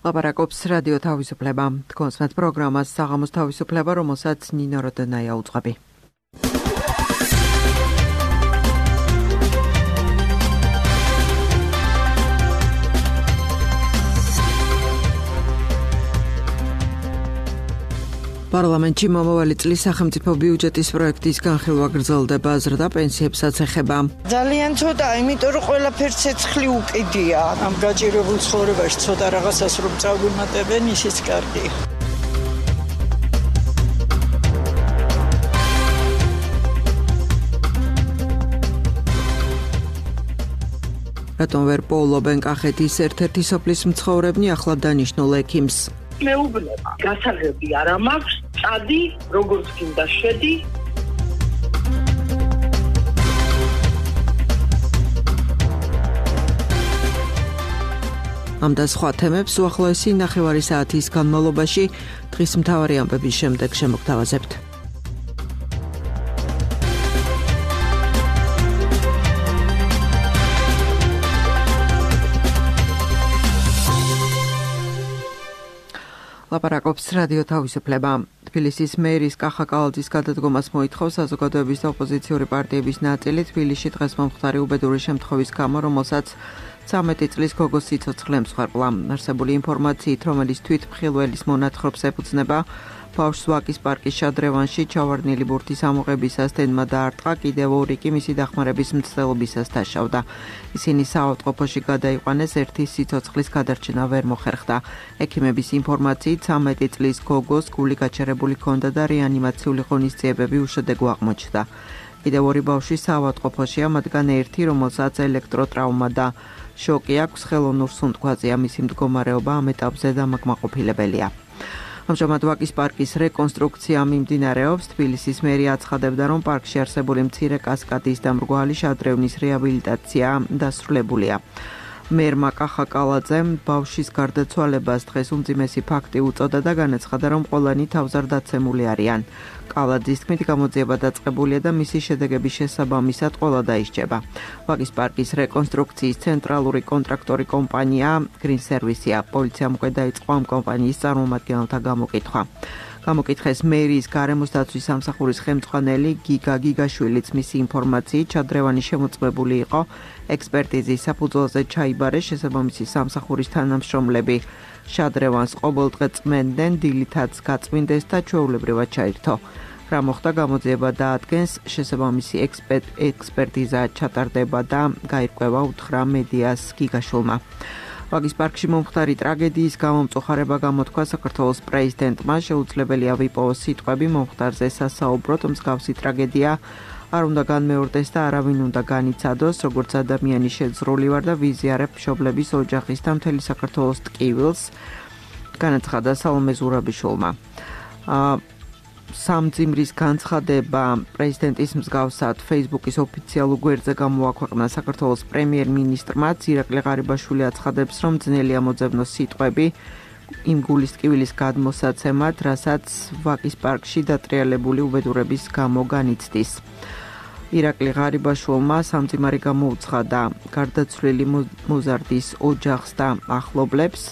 ლაპარაკობს რადიო თავისუფლება. თქვენს პროგრამას საღამოს თავისუფლება, რომელსაც ნინო როდენაია უძღვები. პარლამენტში მომავალი წლის სახელმწიფო ბიუჯეტის პროექტის განხილვა გრძელდება, აზრდა პენსიებსაც ეხება. ძალიან ცოტა, იმიტომ რომ ყველაფერს ცეცხლი უკიდია. ამ გაჭირებულ ცხოვრებაში ცოტა რაღაცას რომ წავიმატებენ, ისიც კარგია. რატომ ვერ პოულობენ კახეთის ერთ-ერთი სოფლის მცხოვრებნი ახლა დანიშნულ ექიმს? მეუბნება, გასაღები არ მაქვს, წადი, როგორც გინდა შედი. ამ და სხვა თემებს უახლოესი ნახევარი საათის განმავლობაში დღის მთავარი ამბების შემდეგ შემოგთავაზებთ. ლაპარაკობს რადიო თავისუფლება. თბილისის მერის კახა კალაძის გადადგომას მოითხოვს საზოგადოების და ოპოზიციური პარტიების ნაწილი. თბილისში დღეს მომხდარი უბედური შემთხვევის გამო, რომელსაც 13 წლის გოგოს სიცოცხლე ემსხვერპლა. არსებული ინფორმაციით, რომელიც თვითმხილველის მონათხრობს ეფუძნება, ბავშვს ვაკის პარკის შადრევანში ჩავარდნილი ბურთის ამოღებისას დედმა დაარტყა, კიდევ ორი კი მისი დახმარების მცდელობისას დაშავდა. ისინი საავადმყოფოში გადაიყვანეს, ერთის სიცოცხლის გადარჩენა ვერ მოხერხდა. ექიმების ინფორმაციით, 13 წლის გოგოს გული გაჩერებული ჰქონდა და რეანიმაციული ღონისძიებები უშედეგო აღმოჩნდა. კიდევ ორი ბავშვი საავადმყოფოშია, მათგან ერთი, რომელსაც ელექტროტრავმა და შოკი აქვს, ხელოვნურ სუნთქვაზეა, მისი მდგომარეობა ამ ეტაპზე დამაკმაყოფილებელია. ამჟამად ვაკის პარკის რეკონსტრუქცია მიმდინარეობს. თბილისის მერია აცხადებდა, რომ პარკში არსებული მცირე კასკადის და მრგვალი შადრევნის რეაბილიტაცია დასრულებულია. მერმა კახა კალაძემ ბავშვის გარდაცვალებას დღეს უმძიმესი ფაქტი უწოდა და განაცხადა, რომ ყველანი თავზარდაცემული არიან. კალაძის თქმით, გამოძიება დაწყებულია და მისი შედეგების შესაბამისად ყველა დაისჯება. ვაკის პარკის რეკონსტრუქციის ცენტრალური კონტრაქტორი კომპანია Green Service-ია. პოლიციამ უკვე დაიწყო ამ კომპანიის წარმომადგენელთა გამოკითხვა. გამოკითხეს მერიის გარემოს დაცვის სამსახურის ხელმძღვანელი გიგა გიგაშვილიც. მისი ინფორმაციით, ჩადრევანი შემოწმებული იყო ექსპერტიზის საფუძველზე ჩაიბარეს შესაბამისი სამსახურის თანამშრომლები. შადრევანს ყოველდღე წმენდნენ, დილითაც გაწმინდეს და ჩვეულებრივად ჩაირთო. რა მოხდა, გამოძიება დაადგენს, შესაბამისი ექსპერტიზა ჩატარდება და გაირკვევა, უთხრა მედიას გიგაშვილმა. ვაკის პარკში მომხდარი ტრაგედიის გამო მწუხარება გამოთქვა საქართველოს პრეზიდენტმა. შეუძლებელია ვიპოვოს სიტყვები მომხდარზე სასაუბროთ. მსგავსი ტრაგედია არ უნდა განმეორდეს და არავინ უნდა განიცადოს, როგორც ადამიანი შეძრული ვარ და ვიზიარებ მშობლების ოჯახის და მთელი საქართველოს ტკივილს, განაცხადა სალომე ზურაბიშვილმა. სამძიმრის განცხადება პრეზიდენტის მსგავსად Facebook-ის ოფიციალურ გვერდზე გამოაქვეყნა საქართველოს პრემიერ-მინისტრმა. ირაკლი ღარიბაშვილი აცხადებს, რომ ძნელია მოძებნოს სიტყვები იმ გულის ტკივილის გადმოსაცემად, რასაც ვაკის პარკში დატრიალებული უბედურების გამო განიცდის. ირაკლი ღარიბაშვილმა სამძიმარი გამოუცხადა გარდაცვლილი მოზარდის ოჯახს და ახლობლებს.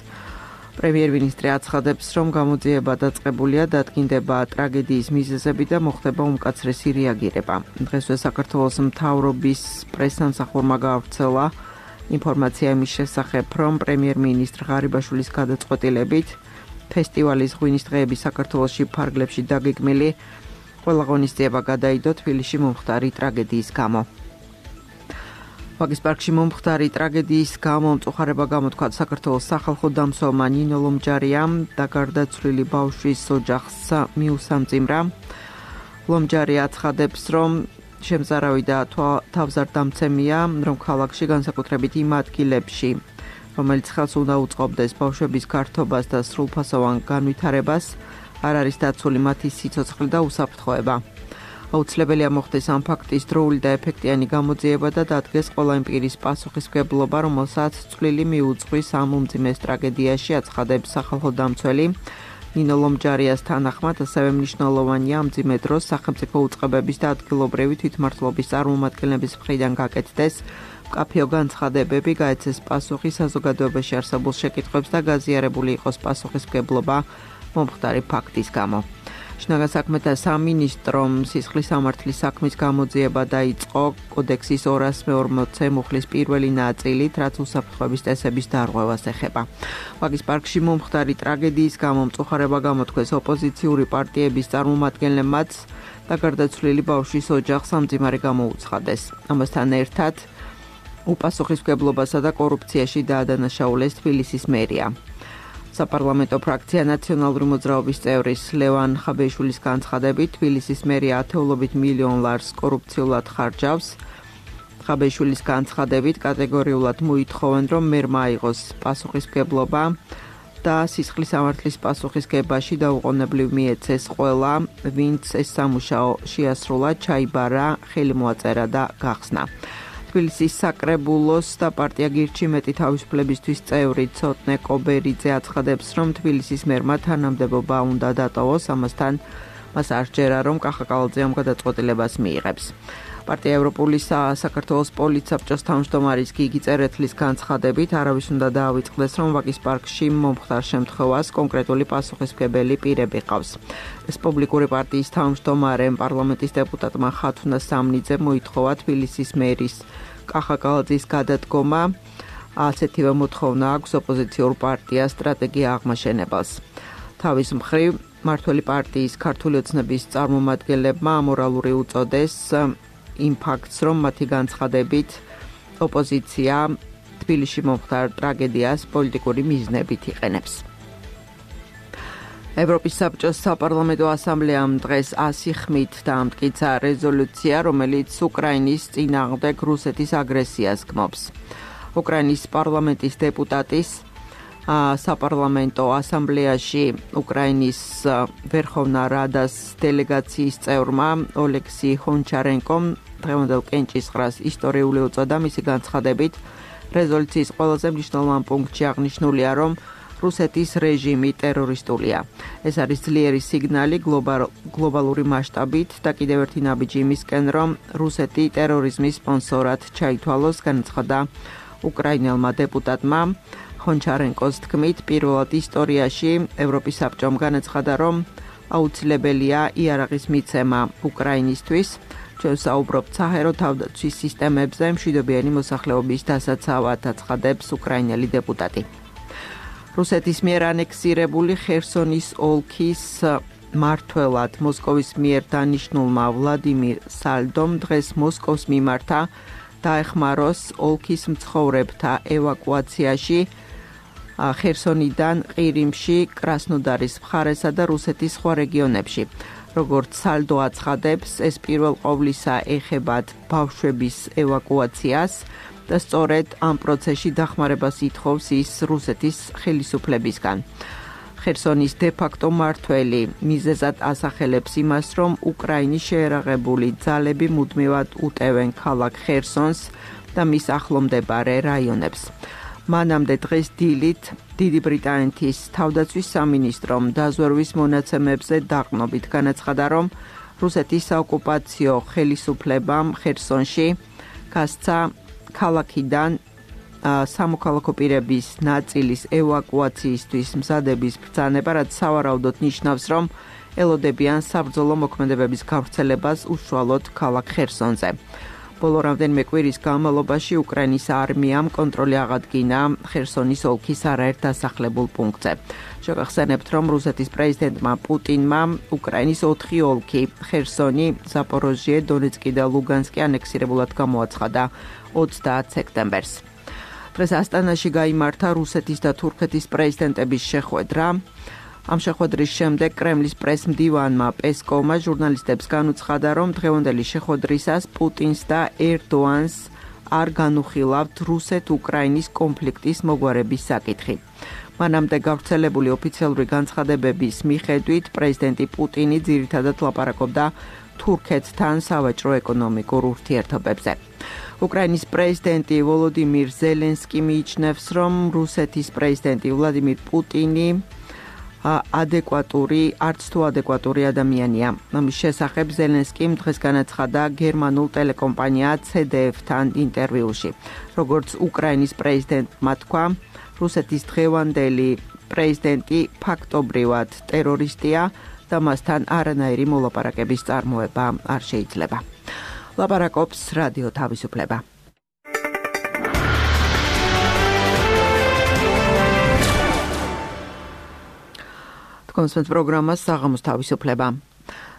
პრემიერ-მინისტრი აცხადებს, რომ გამოძიება დაწყებულია, დადგინდება ტრაგედიის მიზეზები და მოხდება უმკაცრესი რეაგირება. დღესვე საქართველოს მთავრობის პრესსამსახურმა გაავრცელა ინფორმაცია იმის შესახებ, რომ პრემიერ-მინისტრ ღარიბაშვილის გადაწყვეტილებით ფესტივალის ღვინის დღეების საქართველოში ფარგლებში დაგეგმილი ყველა ღონისძიება გადაიდო თბილისში მომხდარი ტრაგედიის გამო. ვაკის პარკში მომხდარი ტრაგედიის გამო მწუხარება გამოთქვა საქართველოს სახალხო დამცველმა ნინო ლომჯარიამ და გარდაცვლილი ბავშვის ოჯახს მიუსამძიმრა. ლომჯარი აცხადებს, რომ შემზარავი და თავზარდამცემია, რომ ქალაქში განსაკუთრებით იმ ადგილებში, რომელიც ხელს უნდა უწყობდეს ბავშვების გართობას და სრულფასოვან განვითარებას, არ არის დაცული მათი სიცოცხლე და უსაფრთხოება. აუცილებელია მოხდეს ამ ფაქტის დროული და ეფექტიანი გამოძიება და დადგეს ყველა იმ პირის პასუხისმგებლობა, რომელსაც წვლილი მიუძღვის ამ უმძიმეს ტრაგედიაში, აცხადებს სახალხო დამცველი. ნინო ლომჯარიას თანახმად, ასევე მნიშვნელოვანია ამ მძიმე დროს სახელმწიფო უწყებების და ადგილობრივი თვითმმართველობის წარმომადგენლების მხრიდან გაკეთდეს მკაფიო განცხადებები გაეცეს პასუხი საზოგადოებაში არსებულ შეკითხვებს და გაზიარებული იყოს პასუხისმგებლობა მომხდარი ფაქტის გამო. შინაგან საქმეთა სამინისტრომ სისხლის სამართლის საქმის გამოძიება დაიწყო კოდექსის 240 მუხლის პირველი ნაწილით, რაც უსაფრთხოების წესების დარღვევას ეხება. ვაგის პარკში მომხდარი ტრაგედიის გამო მწუხარება გამოთქვეს ოპოზიციური პარტიების წარმომადგენლებმაც და გარდაცვლილი ბავშვის ოჯახს სამძიმარი გამოუცხადეს. ამასთან ერთად უპასუხისმგებლობასა და კორუფციაში დაადანაშაულეს თბილისის მერია. საპარლამენტო ფრაქცია ნაციონალური მოძრაობის წევრის ლევან ხაბეიშვილის განცხადებით, თბილისის მერია ათეულობით მილიონ ლარს კორუფციულად ხარჯავს. ხაბეიშვილის განცხადებით კატეგორიულად მოითხოვენ, რომ მერმა აიღოს პასუხისმგებლობა და სისხლის სამართლის პასუხისგებაში დაუყოვნებლივ მიეცეს ყველა, ვინც ეს სამუშაო შეასრულა, ჩაიბარა, ხელი მოაწერა და გახსნა. თბილისის საკრებულოს და პარტია გირჩი მეტი თავისუფლებისთვის წევრი ცოტნე კობერიძე აცხადებს, რომ თბილისის მერმა თანამდებობა უნდა დატოვოს, ამასთან მას არ სჯერა, რომ კახაკალაძე ამ გადაწყვეტილებას მიიღებს. პარტია ევროპული საქართველოს პოლიცსაბჭოს თავმჯდომარის გიგი წერეთლის განცხადებით, არავის უნდა დაავიწყდეს, რომ ვაკის პარკში მომხდარ შემთხვევას კონკრეტული პასუხისმგებელი პირები ყავს. რესპუბლიკური პარტიის თავმჯდომარემ პარლამენტის დეპუტატმა ხათუნა სამნიძემ მოითხოვა თბილისის მერის კახაკალაძის გადადგომა. ასეთივე მოთხოვნა აქვს ოპოზიციურ პარტიას სტრატეგია აღმაშენებელს. თავის მხრივ მართველი პარტიის ქართული ოცნების წარმომადგენლებმა ამორალური უწოდეს იმ ფაქტს, რომ მათი განცხადებით ოპოზიცია თბილისში მომხდარ ტრაგედიას პოლიტიკური მიზნებით იყენებს. ევროპის საბჭოს საპარლამენტო ასამბლეამ დღეს 100 ხმით დაამტკიცა რეზოლუცია, რომელიც უკრაინის წინააღმდეგ რუსეთის აგრესიას გმობს. უკრაინის პარლამენტის დეპუტატის საპარლამენტო ასამბლეაში უკრაინის ვერხოვნა რადას დელეგაციის წევრმა ოლექსი ჰონჩარენკომ დღევანდელ კენჭისყრას ისტორიული უწოდა. მისი განცხადებით, რეზოლუციის ყველაზე მნიშვნელოვან პუნქტში აღნიშნულია, რომ რუსეთის რეჟიმი ტერორისტულია. ეს არის ძლიერი სიგნალი გლობალური მასშტაბით და კიდევ ერთი ნაბიჯი იმისკენ, რომ რუსეთი ტერორიზმის სპონსორად ჩაითვალოს, განაცხადა უკრაინელმა დეპუტატმა. ჰონჩარენკოს თქმით, პირველად ისტორიაში ევროპის საბჭომ განაცხადა, რომ აუცილებელია იარაღის მიცემა უკრაინისთვის. ჩვენ საუბრობთ საჰაერო თავდაცვის სისტემებზე მშვიდობიანი მოსახლეობის დასაცავად, აცხადებს უკრაინელი დეპუტატი. რუსეთის მიერ ანექსირებული ხერსონის ოლქის მმართველად მოსკოვის მიერ დანიშნულმა ვლადიმირ სალდომ დღეს მოსკოვს მიმართა დაეხმაროს ოლქის მცხოვრებთა ევაკუაციაში ხერსონიდან ყირიმში, კრასნოდარის მხარესა და რუსეთის სხვა რეგიონებში. როგორც სალდო აცხადებს, ეს პირველ ყოვლისა ეხებათ ბავშვების ევაკუაციას და სწორედ ამ პროცესში დახმარებას ითხოვს ის რუსეთის ხელისუფლებისგან. ხერსონის დე-ფაქტო მმართველი მიზეზად ასახელებს იმას, რომ უკრაინის შეერაღებული ძალები მუდმივად უტევენ ქალაქ ხერსონს და მის ახლომდებარე რაიონებს. მანამდე დღეს დილით დიდი ბრიტანეთის თავდაცვის სამინისტრომ დაზვერვის მონაცემებზე დაყრდნობით განაცხადა, რომ რუსეთის საოკუპაციო ხელისუფლებამ ხერსონში გასცა ქალაქიდან სამოქალაქო პირების ნაწილის ევაკუაციისთვის მზადების ბრძანება, რაც სავარაუდოდ ნიშნავს, რომ ელოდებიან საბრძოლო მოქმედებების გავრცელებას უშუალოდ ქალაქ ხერსონზე. ბოლო რამდენიმე კვირის განმავლობაში უკრაინის არმიამ კონტროლი აღადგინა ხერსონის ოლქის არაერთ დასახლებულ პუნქტზე. შევახსენებთ, რომ რუსეთის პრეზიდენტმა პუტინმა უკრაინის 4 ოლქი ხერსონი, ზაპოროჟიე, დონეცკი და ლუგანსკი ანექსირებულად გამოაცხადა 30 სექტემბერს. დღეს ასტანაში გაიმართა რუსეთის და თურქეთის პრეზიდენტების შეხვედრა. ამ შეხვედრის შემდეგ კრემლის პრესმდივანმა პესკოვმა ჟურნალისტებს განუცხადა, რომ დღევანდელი შეხვედრისას პუტინს და ერდოანს არ განუხილავთ რუსეთ-უკრაინის კონფლიქტის მოგვარების საკითხი. მანამდე გავრცელებული ოფიციალური განცხადებების მიხედვით პრეზიდენტი პუტინი ძირითადად ლაპარაკობდა თურქეთთან სავაჭრო-ეკონომიკურ ურთიერთობებზე. უკრაინის პრეზიდენტი ვოლოდიმირ ზელენსკი მიიჩნევს, რომ რუსეთის პრეზიდენტი ვლადიმირ პუტინი არც თუ ადეკვატური ადამიანია. ამის შესახებ ზელენსკიმ დღეს განაცხადა გერმანულ ტელეკომპანია CDF-თან ინტერვიუში. როგორც უკრაინის პრეზიდენტმა თქვა, რუსეთის დღევანდელი პრეზიდენტი ფაქტობრივად ტერორისტია და მასთან არანაირი მოლაპარაკების წარმოება არ შეიძლება. ლაპარაკობს რადიო თავისუფლება. კონსპენს პროგრამას საღამოს თავისუფლება.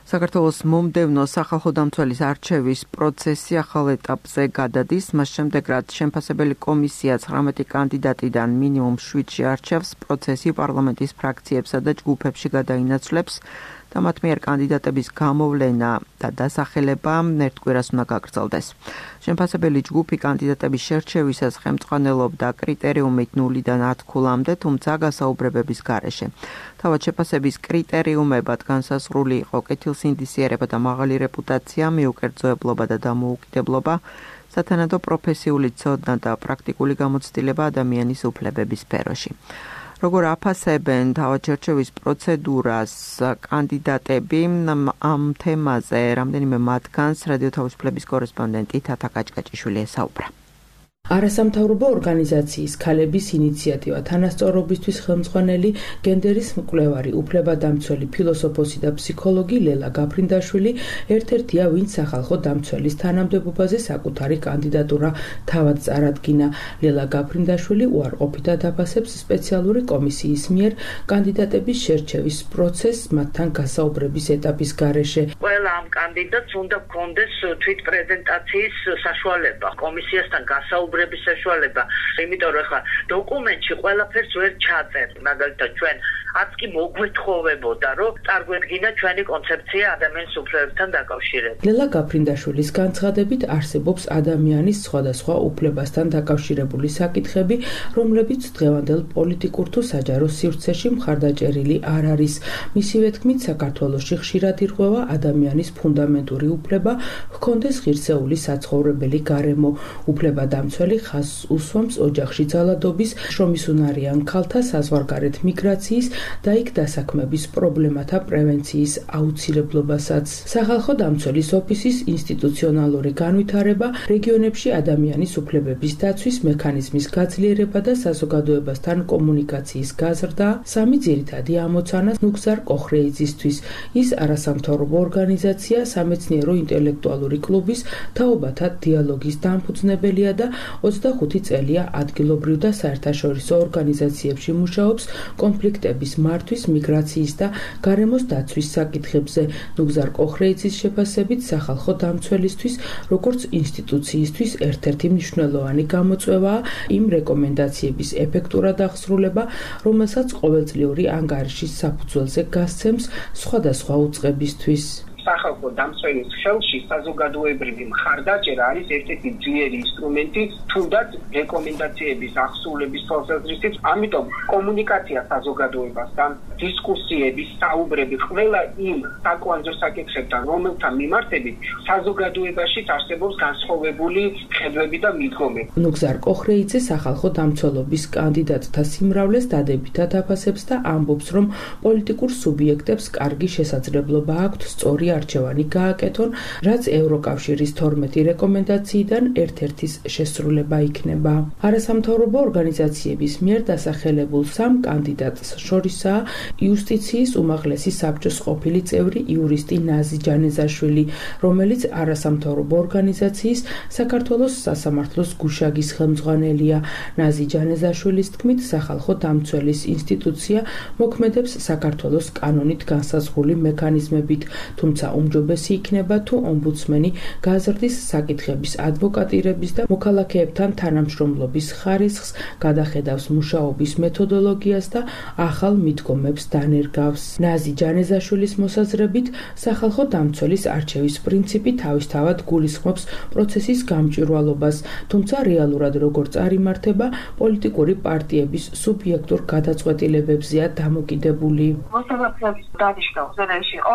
საქართველოს მომდევნო სახალხო დამცველის არჩევის პროცესი ახალ ეტაპზე გადადის, მას შემდეგ რაც შემფასებელი კომისია 19 კანდიდატიდან მინიმუმ 7-ში არჩევს, პროცესი პარლამენტის ფრაქციებსა და ჯგუფებში გადაინაცვლებს და მათ მიერ კანდიდატების გამოვლენა და დასახელება ერთკვირას უნდა გაგრძელდეს. შემფასებელი ჯგუფი კანდიდატების შერჩევისას ხელმძღვანელობდა კრიტერიუმით 0-დან 10 ქულამდე, თუმცა გასაუბრებების გარეშე. თავად შეფასების კრიტერიუმებად განსაზღვრული იყო კეთილსინდისიერება და მაღალი რეპუტაცია, მიუკერძოებლობა და დამოუკიდებლობა, სათანადო პროფესიული ცოდნა და პრაქტიკული გამოცდილება ადამიანის უფლებების სფეროში. როგორ აფასებენ თავად შერჩევის პროცედურას კანდიდატები, ამ თემაზე რამდენიმე მათგანს რადიო თავისუფლების კორესპონდენტი თათა კაჭკაჭიშვილი ესაუბრა. არასამთავრობო ორგანიზაციის ქალების ინიციატივა თანასწორობისთვის ხელმძღვანელი გენდერის მკვლევარი უფლებადამცველი ფილოსოფოსი და ფსიქოლოგი ლელა გაფრინდაშვილი ერთ-ერთია, ვინც სახალხო დამცველის თანამდებობაზე საკუთარი კანდიდატურა თავად წარადგინა. ლელა გაფრინდაშვილი უარყოფითად აფასებს სპეციალური კომისიის მიერ კანდიდატების შერჩევის პროცესს მათთან გასაუბრების ეტაპის გარეშე. ყველა ამ კანდიდატს უნდა ჰქონდეს თვითპრეზენტაციის საშუალება, კომისიასთან გასაუბრების საშუალება, იმიტომ რომ ხა დოკუმენტში ყველაფერს ვერ ჩაწერთ, მაგალითად ჩვენ არც კი მოგვეთხოვებოდა, რომ წარგვედგინა ჩვენი კონცეფცია ადამიანის უფლებებთან დაკავშირებით. ლელა გაფრინდაშვილის განცხადებით არსებობს ადამიანის სხვადასხვა უფლებასთან დაკავშირებული საკითხები, რომლებიც დღევანდელ პოლიტიკურ თუ საჯარო სივრცეში მხარდაჭერილი არ არის. მისივე თქმით, საქართველოში ხშირად ირღვევა ადამიანის ფუნდამენტური უფლება ჰქონდეს ღირსეული საცხოვრებელი გარემო. უფლებადამცველი ხაზს უსვამს ოჯახში ძალადობის, შრომისუნარიან ქალთა საზღვარგარეთ მიგრაციის და იქ დასაქმების პრობლემათა პრევენციის აუცილებლობასაც. სახალხო დამცველის ოფისის ინსტიტუციონალური განვითარება, რეგიონებში ადამიანის უფლებების დაცვის მექანიზმის გაძლიერება და საზოგადოებასთან კომუნიკაციის გაზრდა სამი ძირითადი ამოცანა ნუგზარ კოხრეიძისთვის. ის არასამთავრობო ორგანიზაცია, სამეცნიერო ინტელექტუალური კლუბის თაობათა დიალოგის დამფუძნებელია და 25 წელია ადგილობრივ და საერთაშორისო ორგანიზაციებში მუშაობს კონფლიქტების მართვის, მიგრაციის და გარემოს დაცვის საკითხებზე. ნუგზარ კოხრეიძის შეფასებით სახალხო დამცველისთვის, როგორც ინსტიტუციისთვის ერთ-ერთი მნიშვნელოვანი გამოწვევაა იმ რეკომენდაციების ეფექტურად აღსრულება, რომელსაც ყოველწლიური ანგარიშის საფუძველზე გასცემს სხვადასხვა უწყებისთვის. სახალხო დამცველის ხელში საზოგადოებრივი მხარდაჭერა არის ერთ-ერთი ძლიერი ინსტრუმენტი, თუნდაც რეკომენდაციების აღსრულების თვალსაზრისით. ამიტომ კომუნიკაცია საზოგადოებასთან, დისკუსიები, საუბრები ყველა იმ საკვანძო საკითხებთან, რომელთა მიმართებით საზოგადოებაში არსებობს განსხვავებული ხედვები და მიდგომები. ნუგზარ კოხრეიძე სახალხო დამცველობის კანდიდატთა სიმრავლეს დადებითად აფასებს და ამბობს, რომ პოლიტიკურ სუბიექტებს კარგი შესაძლებლობა აქვთ სწორი არჩევანი გააკეთონ, რაც ევროკავშირის 12 რეკომენდაციიდან ერთ-ერთის შესრულება იქნება. არასამთავრობო ორგანიზაციების მიერ დასახელებულ 3 კანდიდატს შორისაა იუსტიციის უმაღლესი საბჭოს ყოფილი წევრი იურისტი ნაზი ჯანეზაშვილი, რომელიც არასამთავრობო ორგანიზაციის საქართველოს სასამართლოს გუშაგის ხელმძღვანელია. ნაზი ჯანეზაშვილის თქმით, სახალხო დამცველის ინსტიტუცია მოქმედებს საქართველოს კანონით განსაზღვრული მექანიზმებით, თუმცა უმჯობესი იქნება თუ ომბუდსმენი გაზრდის საკითხების ადვოკატირების და მოქალაქეებთან თანამშრომლობის ხარისხს, გადახედავს მუშაობის მეთოდოლოგიას და ახალ მიდგომებს დანერგავს. ნაზი ჯანეზაშვილის მოსაზრებით, სახალხო დამცველის არჩევის პრინციპი თავისთავად გულისხმობს პროცესის გამჭვირვალობას, თუმცა რეალურად როგორ წარიმართება, პოლიტიკური პარტიების სუბიექტურ გადაწყვეტილებებზეა დამოკიდებული. მოსამართლეების დანიშნულ ზონაში იყო,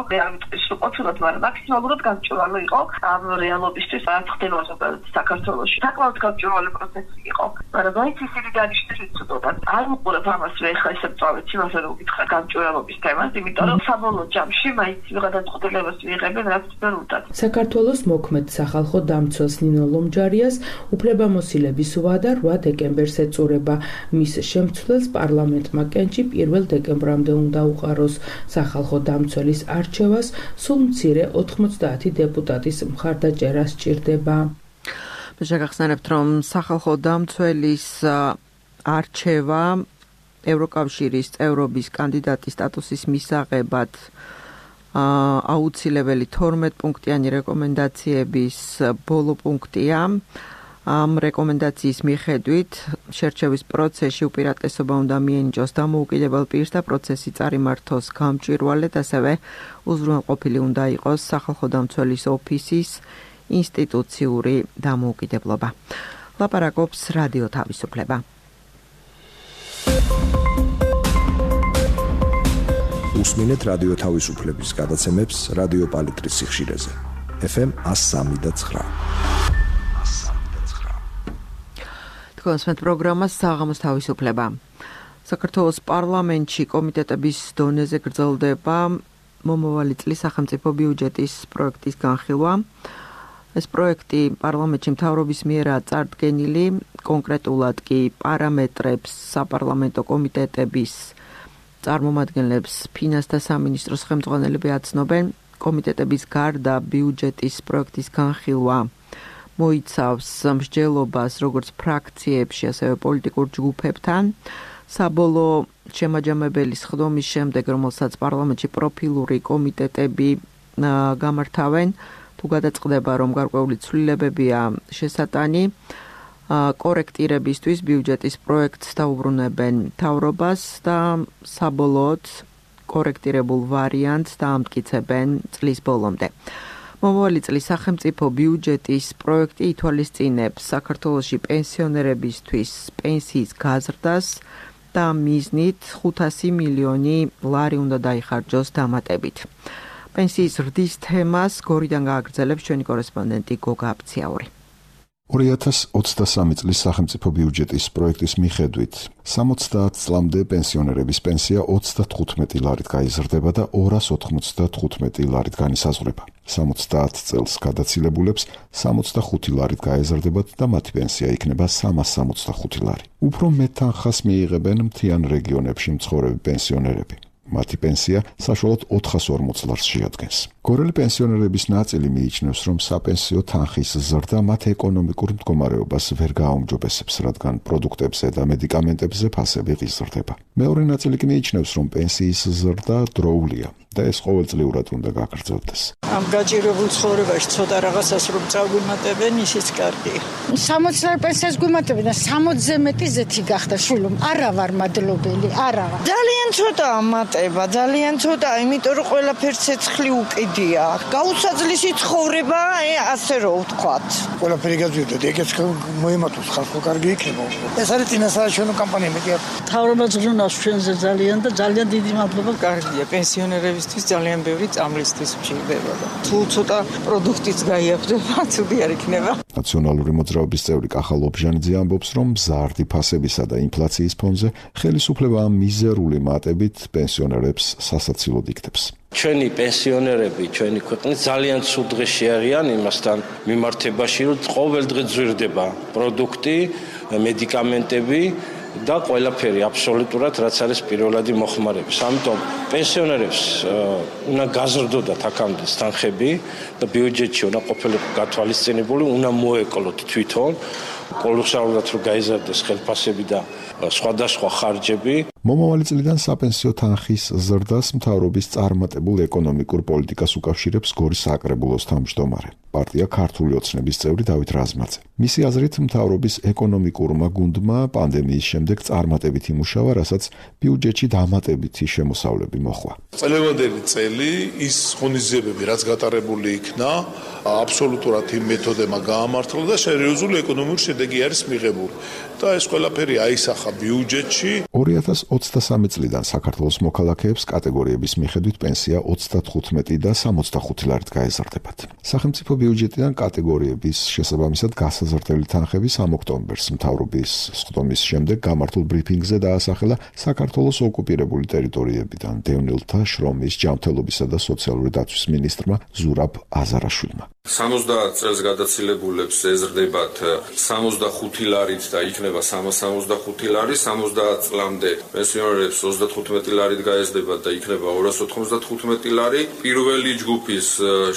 ყოფილად, მაგრამ მაქსიმალურად გამჭვირვალე იყო ამ რეალობისთვის, რაც ხდებოდა საქართველოში. საკმაოდ გამჭვირვალე პროცესი იყო, მაგრამ მაინც ისინი დანიშნეს უცოდოთ. არ უყურებ ამას მე ხა ესე წავეც იმასე რომ გითხრა გამჭვირვალობის თემას, იმიტომ რომ საბოლოო ჯამში მაინც გადაწყვეტილებას მიიღებენ რაც თბილისთან. საქართველოს მოქმედ სახალხო დამცველს ნინო ლომჯარიას უფლებამოსილების ვადა 8 დეკემბერს ეწურება. მის შემცვლელს პარლამენტმა კენჭი 1 დეკემბრამდე უნდა უყაროს. სახალხო დამცველის არჩევას სულ მცირე 90 დეპუტატის მხარდაჭერა სჭირდება. შეგახსენებთ, რომ სახალხო დამცველის არჩევა ევროკავშირის წევრობის კანდიდატის სტატუსის მისაღებად აუცილებელი 12 პუნქტიანი რეკომენდაციების ბოლო პუნქტია. ამ რეკომენდაციის მიხედვით შერჩევის პროცესში უპირატესობა უნდა მიენიჭოს დამოუკიდებელ პირს და პროცესი წარიმართოს გამჭვირვალედ, ასევე უზრუნველყოფილი უნდა იყოს სახალხო დამცველის ოფისის ინსტიტუციური დამოუკიდებლობა. ლაპარაკობს რადიო თავისუფლება. უსმინეთ რადიო თავისუფლების გადაცემებს რადიო პალიტრის სიხშირეზე. FM 103.9. თქვენს პროგრამას საღამოს თავისუფლება. საქართველოს პარლამენტში კომიტეტების დონეზე გრძელდება მომავალი წლის სახელმწიფო ბიუჯეტის პროექტის განხილვა. ეს პროექტი პარლამენტში მთავრობის მიერაა წარდგენილი, კონკრეტულად კი პარამეტრებს საპარლამენტო კომიტეტების წარმომადგენლებს ფინანსთა სამინისტროს ხელმძღვანელები აცნობენ. კომიტეტების გარდა ბიუჯეტის პროექტის განხილვა მოიცავს მსჯელობას როგორც ფრაქციებში, ასევე პოლიტიკურ ჯგუფებთან. საბოლოო შემაჯამებელი სხდომის შემდეგ, რომელსაც პარლამენტში პროფილური კომიტეტები გამართავენ, თუ გადაწყდება, რომ გარკვეული ცვლილებებია შესატანი, კორექტირებისთვის ბიუჯეტის პროექტს დაუბრუნებენ მთავრობას და საბოლოოდ კორექტირებულ ვარიანტს დაამტკიცებენ წლის ბოლომდე. მომავალი წლის სახელმწიფო ბიუჯეტის პროექტი ითვალისწინებს საქართველოში პენსიონერებისთვის პენსიის გაზრდას და მიზნით 500 მილიონი ლარი უნდა დაიხარჯოს დამატებით. პენსიის ზრდის თემას გორიდან გააგრძელებს ჩვენი კორესპონდენტი გოგა აბციაური. 2023 წლის სახელმწიფო ბიუჯეტის პროექტის მიხედვით 70 წლამდე პენსიონერების პენსია 35 ლარით გაიზრდება და 295 ლარით განისაზღვრება. 70 წელს გადაცილებულებს 65 ლარით გაეზრდებათ და მათი პენსია იქნება 365 ლარი. უფრო მეტ თანხას მიიღებენ მთიან რეგიონებში მცხოვრები პენსიონერები. მათი პენსია საშუალოდ 440 ლარს შეადგენს. გორელი პენსიონერების ნაწილი მიიჩნევს, რომ საპენსიო თანხის ზრდა მათ ეკონომიკურ მდგომარეობას ვერ გააუმჯობესებს, რადგან პროდუქტებზე და მედიკამენტებზე ფასები ღიზრდება. მეორე ნაწილი კი მიიჩნევს, რომ პენსიის ზრდა დროულია და ეს ყოველწლიურად უნდა გაგრძელდეს. ამ გაჭირებულ ცხოვრებაში ცოტა რაღაცას რომ წაგვიმატებენ, ისიც კარგია. 60 ლარი პენსიას გვიმატებენ და 60-ზე მეტი ზეთი გახდა შვილო. არა ვარ მადლობელი, არა ვარ. ძალიან ცოტა ამატება, ძალიან ცოტა, იმიტომ რომ ყველაფერს ცეცხლი უკიდია. გაუსაძლისი ცხოვრება, ასე რომ ვთქვათ. ყველაფერი გაძვირდა, ეგეც მოემატოს ხალხო კარგი იქნება. ეს არის წინასაარჩევნო კამპანია მეტია. თავრობა ზრუნავს ჩვენზე ძალიან და ძალიან დიდი მადლობა. კარგია, პენსიონერებისთვის ძალიან ბევრი წამლისთვის მჭირდება. თუ ცოტა პროდუქტიც გაიაფდება, ცუდი არ იქნება. ნაციონალური მოძრაობის წევრი კახა ლობჟანიძე ამბობს, რომ მზარდი ფასებისა და ინფლაციის ფონზე ხელისუფლება მიზერული მატებით პენსიონერებს სასაცილოდ იქნებს. ჩვენი პენსიონერები, ჩვენი ქვეყნის ძალიან ცუდ დღეში არიან იმასთან მიმართებაში, რომ ყოველდღე ძვირდება პროდუქტი, მედიკამენტები და ყველაფერი აბსოლუტურად რაც არის პირველადი მოხმარების. ამიტომ პენსიონერებს უნდა გაზრდოდათ აქამდე თანხები და ბიუჯეტში უნდა ყოფილიყო გათვალისწინებული, უნდა მოეკლოთ თვითონ კოლოსალურად რომ გაიზარდეს ხელფასები და სხვადასხვა ხარჯები. მომავალი წლიდან საპენსიო თანხის ზრდას მთავრობის წარმატებულ ეკონომიკურ პოლიტიკას უკავშირებს გორის საკრებულოს თავმჯდომარე, პარტია ქართული ოცნების წევრი დავით რაზმაძე. მისი აზრით, მთავრობის ეკონომიკურმა გუნდმა პანდემიის შემდეგ წარმატებით იმუშავა, რასაც ბიუჯეტში დამატებითი შემოსავლები მოხვა. წლევანდელი წელი ის ღონისძიებები, რაც გატარებული იქნა, აბსოლუტურად იმ მეთოდებმა გაამართლა და სერიოზული ეკონომიკური შედეგი არის მიღებული. და ეს ყველაფერი აისახა ბიუჯეტში. 2023 წლიდან საქართველოს მოქალაქეებს კატეგორიების მიხედვით პენსია 35 და 65 ლარით გაეზარდებათ. სახელმწიფო ბიუჯეტიდან კატეგორიების შესაბამისად გასაზრდელი თანხების ამ ოქტომბერს მთავრობის სხდომის შემდეგ გამართულ ბრიფინგზე დაასახელა საქართველოს ოკუპირებული ტერიტორიებიდან დევნილთა შრომის, ჯანმრთელობისა და სოციალური დაცვის მინისტრმა ზურაბ აზარაშვილმა. 70 წელს გადაცილებულებს ეზრდებათ 65 ლარით და იქნება 365 ლარი, 70 წლამდე პენსიონერებს 35 ლარით გაეზრდებათ და იქნება 295 ლარი. პირველი ჯგუფის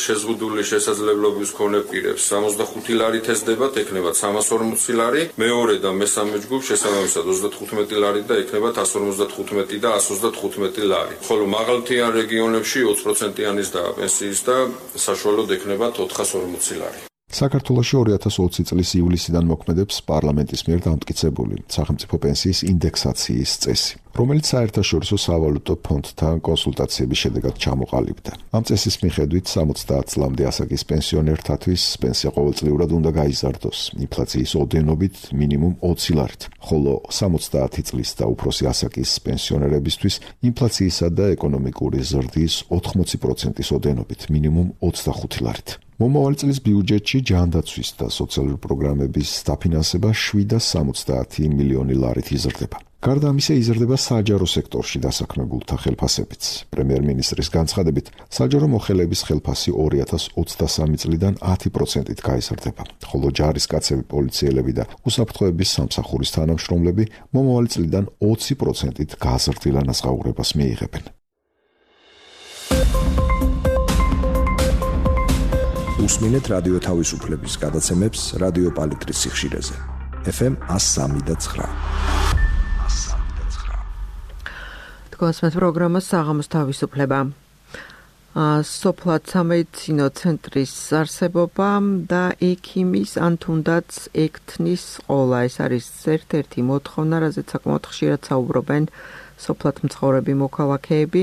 შეზღუდული შესაძლებლობის მქონე პირებს 65 ლარით ეზრდებათ, იქნება 340 ლარი. მეორე და მესამე ჯგუფ შესაბამისად 35 ლარი და იქნება 155 და 135 ლარი. ხოლო მაღალმთიან რეგიონებში 20%-იანის და პენსიის და საშუალოდ იქნება 440 ლარი. საქართველოში 2020 წლის ივლისიდან მოქმედებს პარლამენტის მიერ დამტკიცებული სახელმწიფო პენსიის ინდექსაციის წესი, რომელიც საერთაშორისო სავალუტო ფონდთან კონსულტაციების შედეგად ჩამოყალიბდა. ამ წესის მიხედვით 70 წლამდე ასაკის პენსიონერთათვის პენსია ყოველწლიურად უნდა გაიზარდოს ინფლაციის ოდენობით მინიმუმ 20 ლარით, ხოლო 70 წლის და უფროსი ასაკის პენსიონერებისთვის ინფლაციისა და ეკონომიკური ზრდის 80%-ის ოდენობით მინიმუმ 25 ლარით. მომავალი წლის ბიუჯეტში ჯანდაცვის და სოციალური პროგრამების დაფინანსება 770 მილიონი ლარით იზრდება. გარდა ამისა იზრდება საჯარო სექტორში დასაქმებულთა ხელფასებიც. პრემიერ-მინისტრის განცხადებით, საჯარო მოხელეების ხელფასი 2023 წლიდან 10%-ით გაიზრდება, ხოლო ჯარისკაცები, პოლიციელები და უსაფრთხოების სამსახურის თანამშრომლები მომავალი წლიდან 20%-ით გაზრდილ ანაზღაურებას მიიღებენ. უსმინეთ რადიო თავისუფლების გადაცემებს რადიო პალიტრის სიხშირეზე. FM 103.9. თქვენს პროგრამას საღამოს თავისუფლება. სოფლად სამედიცინო ცენტრის არსებობა და ექიმის ან თუნდაც ექთნის ყოლა. ეს არის ერთ-ერთი მოთხოვნა, რაზეც საკმაოდ ხშირად საუბრობენ სოფლად მცხოვრები მოქალაქეები,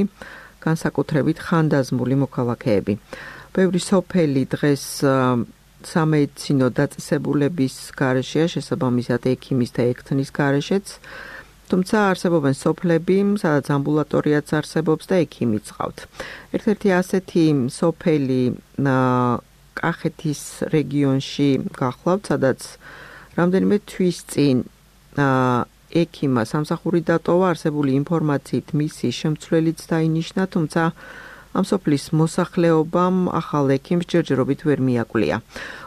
განსაკუთრებით ხანდაზმული მოქალაქეები. ბევრი სოფელი დღეს სამედიცინო დაწესებულების გარეშეა, შესაბამისად ექიმის და ექთნის გარეშეც, თუმცა არსებობენ სოფლები, სადაც ამბულატორიაც არსებობს და ექიმიც ყავთ. ერთ-ერთი ასეთი სოფელი კახეთის რეგიონში გახლავთ, სადაც რამდენიმე თვის წინ ექიმა სამსახური დატოვა, არსებული ინფორმაციით მისი შემცვლელიც დაინიშნა, თუმცა ამ სოფლის მოსახლეობამ ახალ ექიმს ჯერჯერობით ვერ მიაკვლია.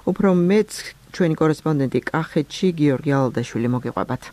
უფრო მეც ჩვენი კორესპონდენტი კახეთში გიორგი ალდაშვილი მოგიყვებათ.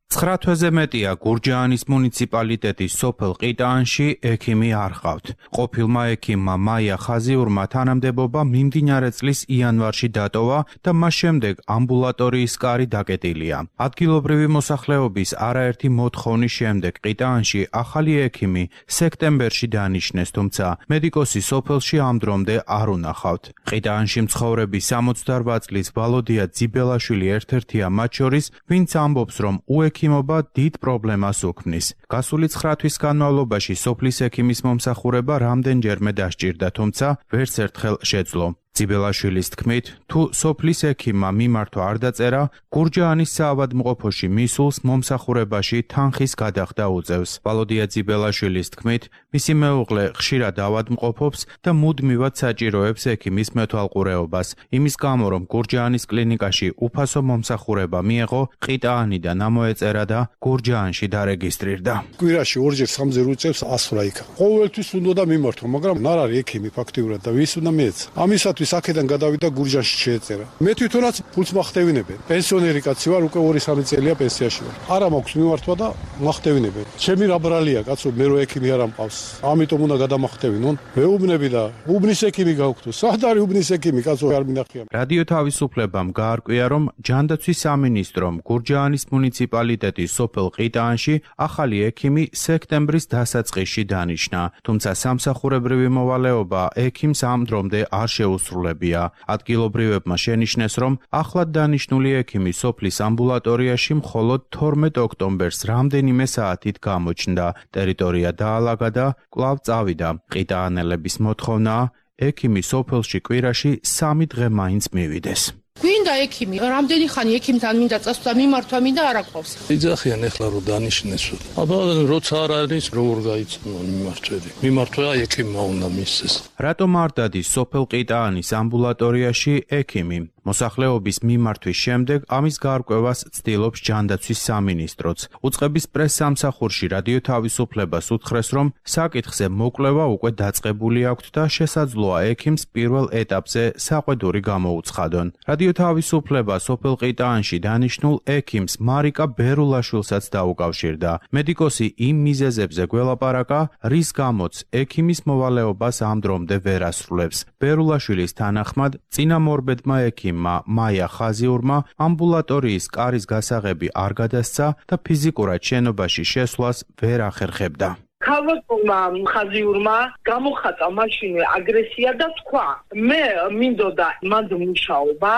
9 თვეზე მეტია გურჯაანის მუნიციპალიტეტის სოფელ ყიტაანში ექიმი არ ყავთ. ყოფილმა ექიმმა მაია ხაზიურმა თანამდებობა მიმდინარე წლის იანვარში დატოვა და მას შემდეგ ამბულატორიის კარი დაკეტილია. ადგილობრივი მოსახლეობის არაერთი მოთხოვნის შემდეგ ყიტაანში ახალი ექიმი სექტემბერში დანიშნეს, თუმცა მედიკოსი სოფელში ამ დრომდე არ უნახავთ. ყიტაანში მცხოვრები 68 წლის ვალოდია ძიბელაშვილი ერთ-ერთია მათ შორის, ვინც ამბობს, რომ ექიმობა დიდ პრობლემას უქმნის. გასული 9 თვის განმავლობაში სოფლის ექიმის მომსახურება რამდენჯერმე დასჭირდა, თუმცა ვერც ერთხელ შეძლო. ძიბელაშვილის თქმით, თუ სოფლის ექიმმა მიმართვა არ დაწერა, გურჯაანის საავადმყოფოში მისულს მომსახურებაში თანხის გადახდა უწევს. ვალოდია ძიბელაშვილის თქმით, მისი მეუღლე ხშირად ავადმყოფობს და მუდმივად საჭიროებს ექიმის მეთვალყურეობას, იმის გამო, რომ გურჯაანის კლინიკაში უფასო მომსახურება მიეღო, ყიტაანიდან ამოეწერა და გურჯაანში დარეგისტრირდა. კვირაში ორჯერ სამჯერ უწევს 100 რა იქა. ყოველთვის უნდა მიმართვა, მაგრამ არ არის ექიმი ფაქტიურად და ვის უნდა მიეცა. ამისათვის აქედან გადავიდა გურჯაანში შეეწერა. მე თვითონაც ფულს მახტევინებენ. პენსიონერი კაცი ვარ, უკვე 2-3 წელია პენსიაში ვარ. არა მაქვს მიმართვა და მახტევინებენ. ჩემი რა ბრალია კაცო, მე რო ექიმი არ ამყავს. ამიტომ უნდა გადამახტევინონ. მეუბნები და უბნის ექიმი გავხდო. სად არის უბნის ექიმი კაცო, არ მინახია. რადიო თავისუფლებამ გაარკვია, რომ ჯანდაცვის სამინისტრომ გურჯაანის მუნიციპალიტეტის სოფელ ყიტაანში ახალი ექიმი სექტემბრის დასაწყისში დანიშნა, თუმცა სამსახურებრივი მოვალეობა ექიმს ამ დრომდე არ შეუსრულებია. ადგილობრივებმა შენიშნეს, რომ ახლად დანიშნული ექიმი სოფლის ამბულატორიაში მხოლოდ 12 ოქტომბერს რამდენიმე საათით გამოჩნდა. ტერიტორია დაალაგა და კვლავ წავიდა. ყიტაანელების მოთხოვნაა, ექიმი სოფელში კვირაში 3 დღე მაინც მივიდეს. გვინდა ექიმი, რამდენი ხანი ექიმთან მინდა წასვლა, მიმართვა მინდა არ აქვს. იძახიან ეხლა რომ დანიშნეს. აბა როცა არ არის როგორ გაიცნო მიმართვები. მიმართვა ექიმმა უნდა მისცეს. რატომ არ დადის სოფელ ყიტაანის ამბულატორიაში ექიმი? მოსახლეობის მიმართვის შემდეგ ამის გარკვევას ცდილობს ჯანდაცვის სამინისტროც. უწყების პრესსამსახურში რადიო თავისუფლებას უთხრეს, რომ საკითხზე მოკვლევა უკვე დაწყებული აქვთ და შესაძლოა ექიმს პირველ ეტაპზე საყვედური გამოუცხადონ. რადიო თავისუფლება სოფელ ყიტაანში დანიშნულ ექიმს მარიკა ბერულაშვილსაც დაუკავშირდა. მედიკოსი იმ მიზეზებზე გველაპარაკა, რის გამოც ექიმის მოვალეობას ამ დრომდე ვერ ასრულებს. ბერულაშვილის თანახმად, წინამორბედმა ექიმ მაია ხაზიურმა ამბულატორიის კარის გასაღები არ გადასცა და ფიზიკურად შენობაში შესვლას ვერ ახერხებდა. ქალბატონმა ხაზიურმა გამოხატა მაშინვე აგრესია და თქვა მე მინდოდა მანდ მუშაობა,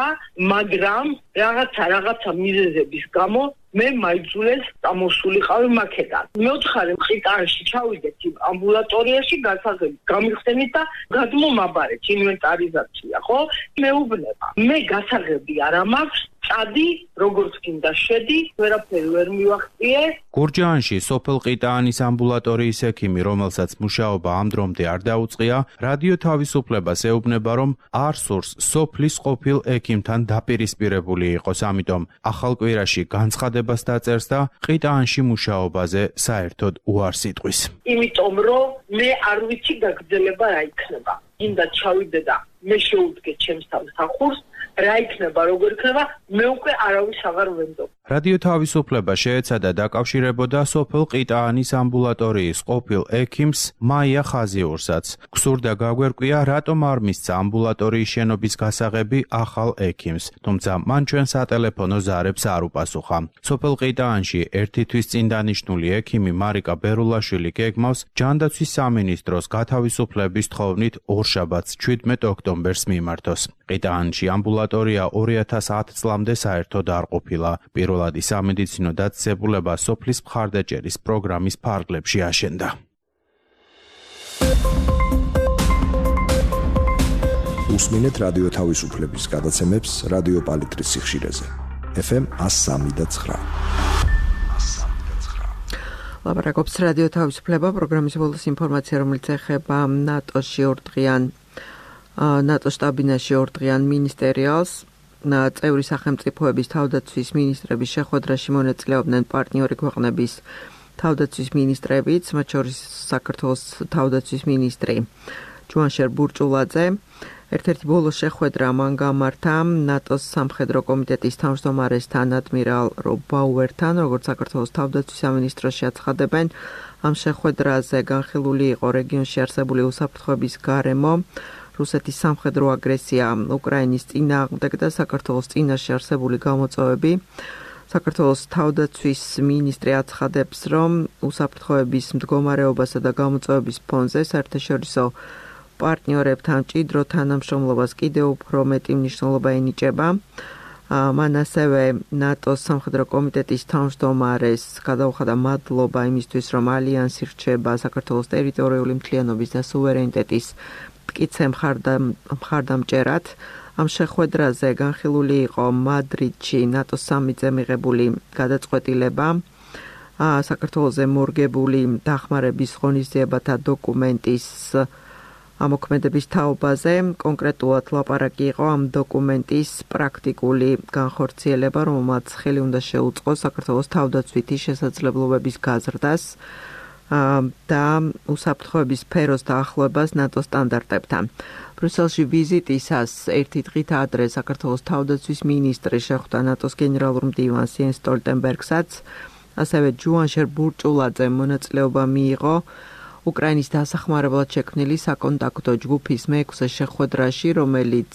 მაგრამ რაღაცა მიზეზების გამო მე მაიძულეს წამოსულიყავი მაქედან. მეოთხარი ყიტაანში ჩავიდეთ ამბულატორიაში გასაღები გამიხსენით და გადმომაბარეთ ინვენტარიზაცია, ხო? მეუბნება. მე გასაღები არა მაქვს, წადი, როგორც გინდა შედი, ვერაფერი ვერ მივახციე. გურჯაანში სოფელ ყიტაანის ამბულატორიის ექიმი, რომელსაც მუშაობა ამ დრომდე არ დაუწყია, რადიო თავისუფლებას ეუბნება, რომ არ სურს სოფლის ყოფილ ექიმთან დაპირისპირებული იყოს, ამიტომ ახალ კვირაში განცხადებას დაწერს და ყიტაანში მუშაობაზე საერთოდ უარს იტყვის. იმიტომ რომ მე არ ვიცი გაგრძელება რა იქნება. გინდა ჩავიდე და მე შეუდგე ჩემს სამსახურს, რა იქნება, როგორ იქნება, მე უკვე არავის აღარ ვენდობ. რადიო თავისუფლება შეეცადა დაკავშირებოდა სოფელ ყიტაანის ამბულატორიის ყოფილ ექიმს მაია ხაზიურსაც. გსურდა გაგვერკვია, რატომ არ მისცა ამბულატორიის შენობის გასაღები ახალ ექიმს, თუმცა მან ჩვენ სატელეფონო ზარებს არ უპასუხა. სოფელ ყიტაანში ერთი თვის წინ დანიშნული ექიმი მარიკა ბერულაშვილი გეგმავს ჯანდაცვის სამინისტროს გათავისუფლების თხოვნით ორშაბათს 17 ოქტომბერს მიმართოს. ყიტაანში ამბულატორია 2010 წლამდე საერთოდ არ ყოფილა. პირველადი სამედიცინო დაწესებულება სოფლის მხარდაჭერის პროგრამის ფარგლებში აშენდა. უსმინეთ რადიო თავისუფლების გადაცემებს რადიო პალიტრის სიხშირეზე. FM 103.9. ლაპარაკობს რადიო თავისუფლება, პროგრამის ბოლოს ინფორმაცია, რომელიც ეხება ნატოში ნატოს შტაბ-ბინაში ორდღიან მინისტერიალს. წევრი სახელმწიფოების თავდაცვის მინისტრების შეხვედრაში მონაწილეობდნენ პარტნიორი ქვეყნების თავდაცვის მინისტრებიც, მათ შორის საქართველოს თავდაცვის მინისტრი ჯუანშერ ბურჭულაძე. ერთ-ერთი ბოლო შეხვედრა მან გამართა ნატოს სამხედრო კომიტეტის თავმჯდომარესთან ადმირალ რობ ბაუერთან, როგორც საქართველოს თავდაცვის სამინისტროში აცხადებენ. ამ შეხვედრაზე განხილული იყო რეგიონში არსებული უსაფრთხოების გარემო, რუსეთის სამხედრო აგრესია უკრაინის წინააღმდეგ და საქართველოს წინაშე არსებული გამოწვევები. საქართველოს თავდაცვის მინისტრი აცხადებს, რომ უსაფრთხოების მდგომარეობასა და გამოწვევების ფონზე საერთაშორისო პარტნიორებთან მჭიდრო თანამშრომლობას კიდევ უფრო მეტი მნიშვნელობა ენიჭება. მან ასევე ნატოს სამხედრო კომიტეტის თავმჯდომარეს გადაუხადა მადლობა იმისთვის, რომ ალიანსი რჩება საქართველოს ტერიტორიული მთლიანობის და სუვერენიტეტის მტკიცე მხარდამჭერად. ამ შეხვედრაზე განხილული იყო მადრიდში ნატოს სამიტზე მიღებული გადაწყვეტილება, საქართველოზე მორგებული დახმარების ღონისძიებათა დოკუმენტის ამოქმედების თაობაზე. კონკრეტულად ლაპარაკი იყო ამ დოკუმენტის პრაქტიკული განხორციელება, რომელმაც ხელი უნდა შეუწყოს საქართველოს თავდაცვითი შესაძლებლობების გაზრდას და უსაფრთხოების სფეროს დაახლოებას ნატოს სტანდარტებთან. ბრიუსელში ვიზიტისას ერთი დღით ადრე საქართველოს თავდაცვის მინისტრი შეხვდა ნატოს გენერალურ მდივანს იენს სტოლტენბერგსაც, ასევე ჯუანშერ ბურჭულაძემ მონაწილეობა მიიღო უკრაინის დასახმარებლად შექმნილი საკონტაქტო ჯგუფის მე-6 შეხვედრაში, რომელიც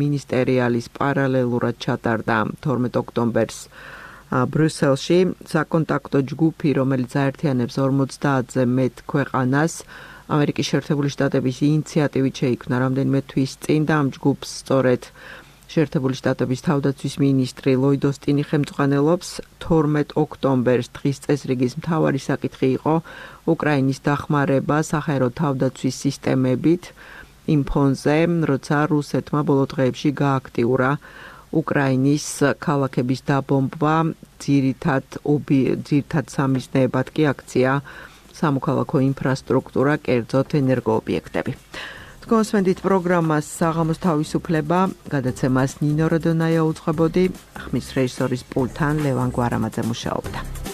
მინისტერიალის პარალელურად ჩატარდა 12 ოქტომბერს ბრიუსელში. საკონტაქტო ჯგუფი, რომელიც აერთიანებს 50-ზე მეტ ქვეყანას, ამერიკის შეერთებული შტატების ინიციატივით შეიქმნა რამდენიმე თვის წინ და ამ ჯგუფს სწორედ შეერთებული შტატების თავდაცვის მინისტრი ლოიდ ოსტინი ხელმძღვანელობს. 12 ოქტომბერს დღის წესრიგის მთავარი საკითხი იყო უკრაინის დახმარება საჰაერო თავდაცვის სისტემებით იმ ფონზე, როცა რუსეთმა ბოლო დღეებში გააქტიურა უკრაინის ქალაქების დაბომბვა ძირითად სამიზნეებად კი აქცია სამოქალაქო ინფრასტრუქტურა, კერძოდ ენერგოობიექტები. კონსვენდით პროგრამას საღამოს თავისუფლება, გადაცემას ნინო როდონაია უძღვებოდი, ხმის რეჟისორის პულტთან ლევან გვარამაძე მუშაობდა.